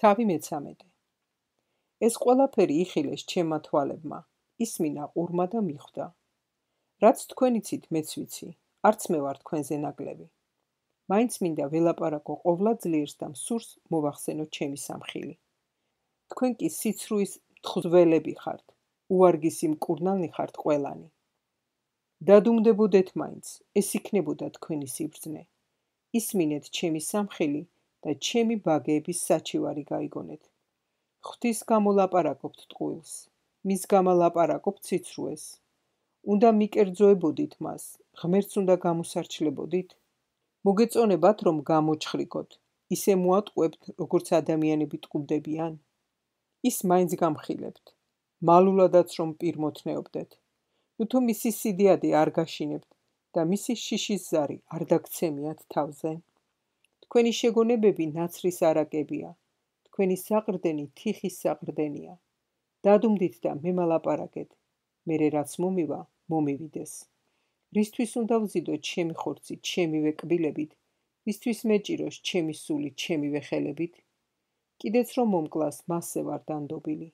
თავი მე-13. ეს ყველაფერი იხილეს ჩემმა თვალებმა, ისმინა ყურმა და მიხვდა. რაც თქვენ იცით, მეც ვიცი, არც მე ვარ თქვენზე ნაკლები. მაინც მინდა ველაპარაკო ყოვლა ძლიერს და მსურს მოვახსენოთ ჩემი სამხილი. თქვენ კი სიცრუის მთხზველები ხართ, უვარგისი მკურნალნი ხართ ყველანი. დადუმდებოდეთ მაინც, ეს იქნებოდა თქვენი სიბრძნე. ისმინეთ ჩემი სამხილი და ჩემი ბაგეების საჩივარი გაიგონეთ. ღვთის გამო ლაპარაკობთ ტყუილს, მის გამო ლაპარაკობთ სიცრუეს. უნდა მიკერძოებოდით მას, ღმერთს უნდა გამოსარჩლებოდით. მოგეწონებათ, რომ გამოჩხრიკოთ, ისე მოატყუებთ, როგორც ადამიანები ტყუბდებიან. ის მაინც გამხილებთ, მალულადაც რომ პირმოთნეობდეთ. თუ მისი სიდიადი არ გაშინებთ და მისი შიშის ზარი არ დაგცემიათ თავზე. თქვენი შეგონებები ნაცრის არაკებია, თქვენი საყრდენი თიხის საყრდენია. დადუმდით და მემალაპარაკეთ, მერე რაც მომივა, მომივიდეს. რისთვის უნდა ვზიდოთ ჩემი ხორცი, ჩემივე კბილებით, რისთვის მეჭიროს ჩემი სული, ჩემივე ხელებით? კიდეც რომ მომკლას, მასზე ვარ დანდობილი,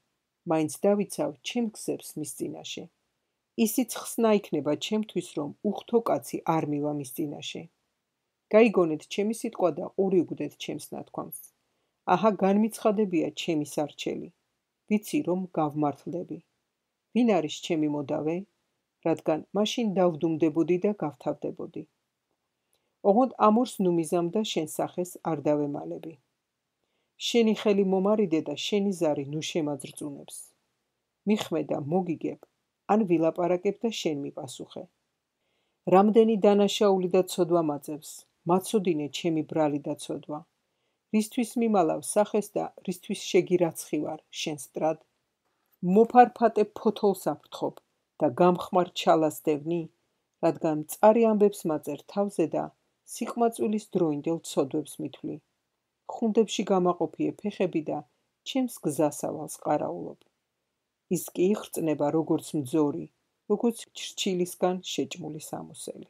მაინც დავიცავ ჩემ გზებს მის წინაშე. ისიც ხსნა იქნება ჩემთვის, რომ უხთო კაცი არ მივა მის წინაშე. გაიგონეთ ჩემი სიტყვა და ყური უგდეთ ჩემს ნათქვამს. აჰა, განმიცხადებია ჩემი სარჩელი. ვიცი, რომ გავმართლდები. ვინ არის ჩემი მოდავე? რადგან მაშინ დავდუმდებოდი და გავთავდებოდი. ოღონდ ამორს ნუმიზამ და შენ სახეს არ დავემალები. შენი ხელი მომარიდე და შენი ზარი ნუ შემაძრწუნებს. მიხმე და მოგიგებ, ან ვილაპარაკებ და შენ მიპასუხე. რამდენი დანაშაული და ცოდვა მაძებს, მაცოდინე ჩემი ბრალი და ცოდვა. რისთვის მიმალავ სახეს და რისთვის შეგირაცხივარ შენ სტრად? მოფარფატე ფოთოლს აფრთხობ და გამხმარ ჩალას დევნი, რადგან მწარი ამბებს მაწერ თავზე და სიყმაწვილის დროინდელ ცოდვებს მithვლი. ხუნდებში გამაყოფიე ფეხები და ჩემს გზასავალს ყარაულობ. ის კი იხრწნება როგორც მძორი, როგორც ჩრჩილისგან შეჭმული სამოსელი.